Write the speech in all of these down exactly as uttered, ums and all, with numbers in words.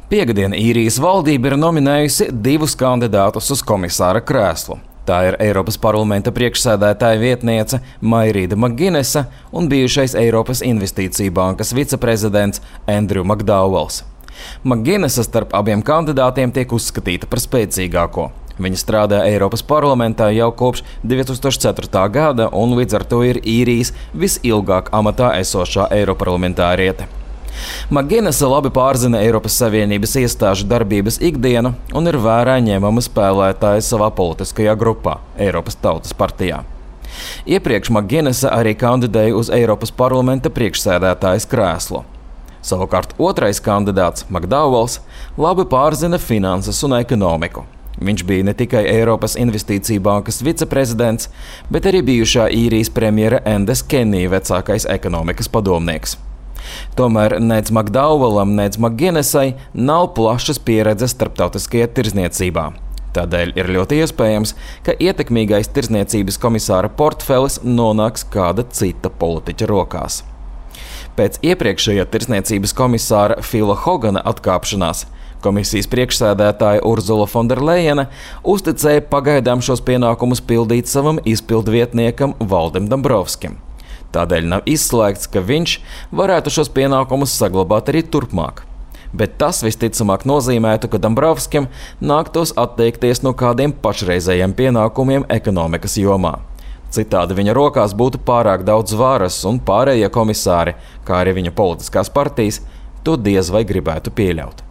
Piektdien īrijas valdība ir nominējusi divus kandidātus uz komisāra krēslu. Tā ir Eiropas parlamenta priekšsēdētāja vietniece Mairīda Maginesa un bijušais Eiropas Investīciju bankas viceprezidents Andrew McDowells. Maginesa starp abiem kandidātiem tiek uzskatīta par spēcīgāko. Viņa strādā Eiropas parlamentā jau kopš divi tūkstoši ceturtā gada un līdz ar to ir īrijas visilgāk amatā esošā eiroparlamentāriete. Maginesa labi pārzina Eiropas Savienības iestāžu darbības ikdienu un ir vērā ņemama spēlētāja savā politiskajā grupā – Eiropas Tautas partijā. Iepriekš Maginesa arī kandidēja uz Eiropas parlamenta priekšsēdētājas krēslu. Savukārt otrais kandidāts, McDowells, labi pārzina finanses un ekonomiku. Viņš bija ne tikai Eiropas Investīciju bankas viceprezidents, bet arī bijušā īrijas premjera Endes Kenija vecākais ekonomikas padomnieks. Tomēr nec McDowellam, nec Maginesai nav plašas pieredzes starptautiskajā tirzniecībā. Tādēļ ir ļoti iespējams, ka ietekmīgais tirzniecības komisāra portfelis nonāks kāda cita politiķa rokās. Pēc iepriekšējā tirzniecības komisāra Phila Hogana atkāpšanās komisijas priekšsēdētāja Urzula Fonderlejene uzticēja pagaidām šos pienākumus pildīt savam izpildvietniekam Valdim Dombrovskim. Tādēļ nav izslēgts, ka viņš varētu šos pienākumus saglabāt arī turpmāk. Bet tas visticamāk nozīmētu, ka Dombrovskim nāktos atteikties no kādiem pašreizējiem pienākumiem ekonomikas jomā. Citādi viņa rokās būtu pārāk daudz varas un pārējie komisāri, kā arī viņa politiskās partijas, to diez vai gribētu pieļaut.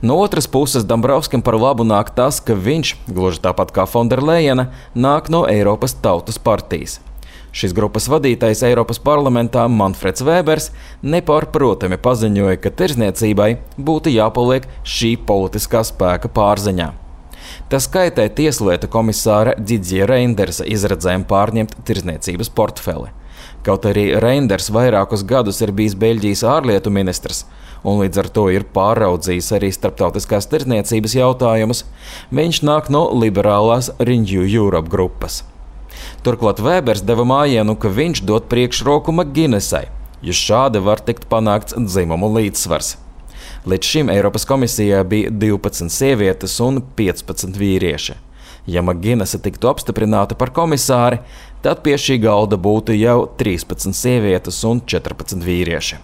No otras puses Dombrovskim par labu nāk tas, ka viņš, gluži tāpat kā Fonderlejene, nāk no Eiropas Tautas partijas. Šīs grupas vadītājs Eiropas parlamentā Manfreds Vēbers nepārprotami paziņoja, ka tirzniecībai būtu jāpaliek šī politiskā spēka pārziņā. Tas kaitē tieslietu komisāra Didiera Reindersa izredzēm pārņemt tirzniecības portfeli. Kaut arī Reinders vairākus gadus ir bijis Beļģijas ārlietu ministrs un līdz ar to ir pāraudzījis arī starptautiskās tirzniecības jautājumus, viņš nāk no liberālās Renew Europe grupas. Turklāt Vēbers deva mājienu, ka viņš dod priekšroku Maginesai, jo šādi var tikt panākts dzimumu līdzsvars. Līdz šim Eiropas komisijā bija divpadsmit sievietes un piecpadsmit vīrieši. Ja Maginesa tiktu apstiprināta par komisāri, tad pie šī galda būtu jau trīspadsmit sievietes un četrpadsmit vīrieši.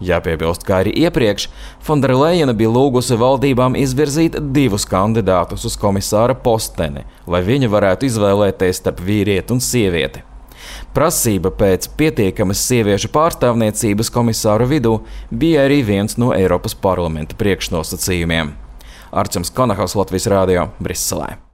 Jāpiebilst, kā arī iepriekš, Fonderlejene bija lūgusi valdībām izvirzīt divus kandidātus uz komisāra posteni, lai viņa varētu izvēlēties starp vīrieti un sievieti. Prasība pēc pietiekamas sieviešu pārstāvniecības komisāru vidū bija arī viens no Eiropas parlamenta priekšnosacījumiem. Arčuns Konahaus, Latvijas radio, Briselē.